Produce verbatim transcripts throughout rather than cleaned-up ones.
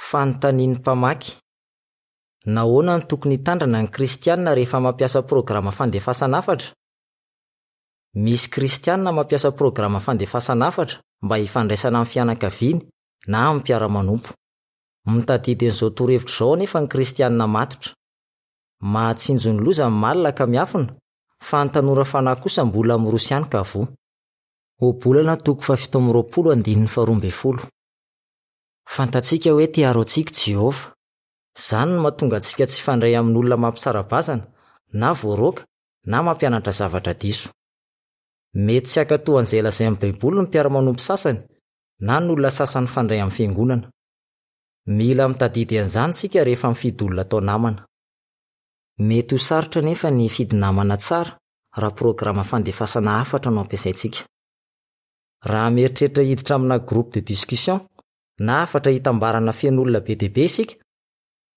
Fanontanian'ny mpamaky. Nahoana no tokony hitandrina ny Kristianina rehefa mampiasa programa fandefasana hafatra? Misy Kristianina mampiasa programa fandefasana hafatra mba hifandraisana amin'ny fianakaviany na amin'ny mpiara-manompo. Mitadidy an'izao torohevitra izao anefa ny Kristianina matotra. Mahatsinjo ny loza ny malina ka miafina, fa ny tanora fanahy kosa mbola miroso ihany ka voa. Ohabolana toko fahafito amby roapolo andininy faharoa ambin'ny folo. Fantatsika hoe te hiaro antsika i Jehovah. Izany no mahatonga antsika tsy hifandray amin'olona mampisara-bazana na voaroaka na mampianatra zavatra diso. Mety tsy hankatò an'izay lazain'ny Baiboly ny mpiara-manompo sasany na ny olona sasany mifandray amin'ny fiangonana. Mila mitadidy an'izany isika rehefa mifidy olona atao namana. Mety ho sarotra anefa ny hifidy namana tsara raha programa fandefasana hafatra no ampiasaintsika. Raha mieritreritra hiditra amina groupe de discussion na hafatra hitambarana feno olona be dia be isika,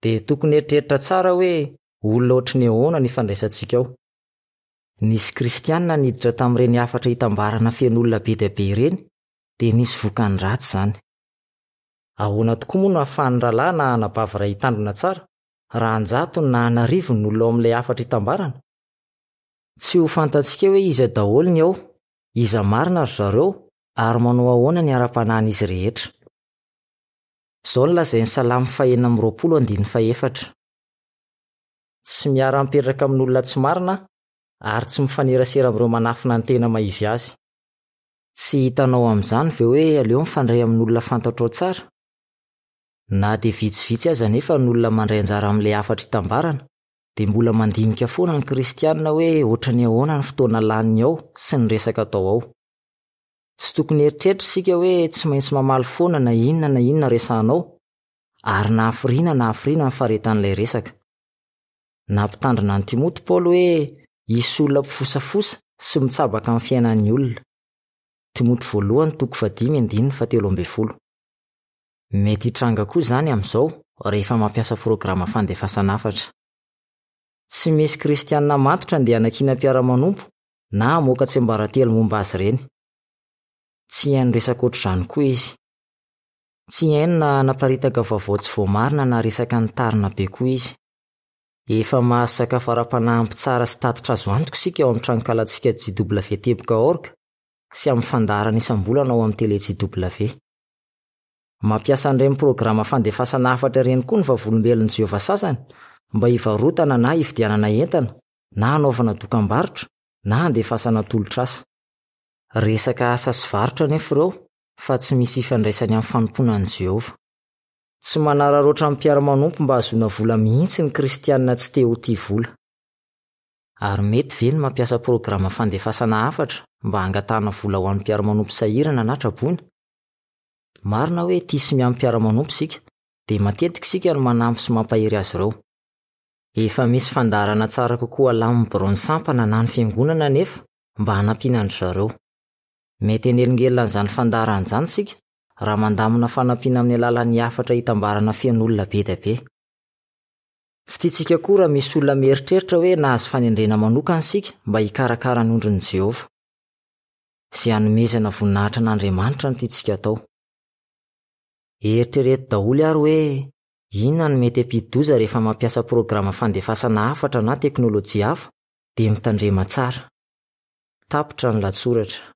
dia tokony hieritreritra tsara hoe olona ohatry ny ahoana no ifandraisantsika ao. Nisy Kristianina niditra tamin'ireny hafatra hitambarana feno olona be dia be ireny, dia nisy vokany ratsy izany. Ahoana tokoa moa no ahafahan'ny rahalahy na anabavy iray hitandrina tsara raha an-jatony na an'arivony ny olona ao amin'ilay hafatra hitambarana? Tsy ho fantatsika hoe iza daholo ny ao, iza marina ry zareo ary manao ahoana ny ara-panahin'izy rehetra. Izao no lazain'ny Salamo fahenina amby roapolo andininy fahefatra. Tsy miara-mipetraka amin'olona tsy marina ary tsy mifanerasera amin'ireo manafina ny tena maha izy azy. Tsy hitanao amin'izany ve hoe aleo mifandray amin'olona fantatrao tsara? Na dia vitsivitsy aza anefa ny olona mandray anjara amin'ilay hafatra hitambarana, dia mbola mandinika foana ny Kristianina hoe ohatry ny ahoana ny fotoana laniny ao sy ny resaka atao ao. Tsy tokony hieritreritra isika hoe tsy maintsy mamaly foana na inona na inona resahanao, ary na hafiriana na hafiriana ny faharetan'ilay resaka. Nampitandrina an'i Timoty Paoly hoe hisy olona mpifosafosa sy mitsabaka amin'ny fiainan'ny olona. Timoty voalohany toko fahadimy andininy fahatelo ambin'ny folo. Mety hitranga koa izany amin'izao rehefa mampiasa programa fandefasana hafatra. Tsy misy Kristianina matotra andeha hanakiana mpiara-manompo na hamoaka tsiambaratelo momba azy ireny. Tsy haino resaka ohatr'izany koa izy. Tsy haino na hanaparitaka vaovao tsy voamarina na resaka nitarina be koa izy. Efa mahazo sakafo ara-panahy ampy tsara sy tatitra azo antoka isika ao amin'ny tranonkalantsika J W teboka org sy amin'ny fandaharana isam-bolana ao amin'ny télé J W. Mampiasa an'ireny programa fandefasana hafatra ireny koa ny Vavolombelon'i Jehovah sasany mba hivarotana na hividianana entana na hanaovana dokam-barotra na handefasana tolotr'asa. Resaka asa sy varotra anefa ireo fa tsy misy ifandraisany amin'ny fanompoana an'i Jehovah. Tsy manararaotra amin'ny mpiara-manompo mba hahazoana vola mihitsy ny Kristianina tsy te ho tia vola. Ary mety ve ny mampiasa programa fandefasana hafatra mba hangatahana vola ho an'ny mpiara-manompo sahirana na traboina? Marina hoe tia sy miahy mpiara-manompo isika, dia matetika isika no manampy sy mampahery azy ireo. Efa misy fandaharana tsara kokoa alamin'ny biraon'ny sampana na ny fiangonana anefa mba hanampiana an-dry zareo. Mety hanelingelina an'izany fandaharana izany isika raha mandamina fanampiana amin'ny alalan'ny hafatra hitambarana feno olona be dia be. Tsy tiantsika koa raha misy olona mieritreritra hoe nahazo fanendrena manokana isika mba hikarakara ny ondrin'i Jehovah. Izay hanomezana voninahitra an'Andriamanitra no tiantsika atao. Eritrereto daholo ary hoe inona no mety hampidi-doza rehefa mampiasa programa fandefasana hafatra na teknôlôjia hafa, dia mitandrema tsara. Tapitra ny lahatsoratra.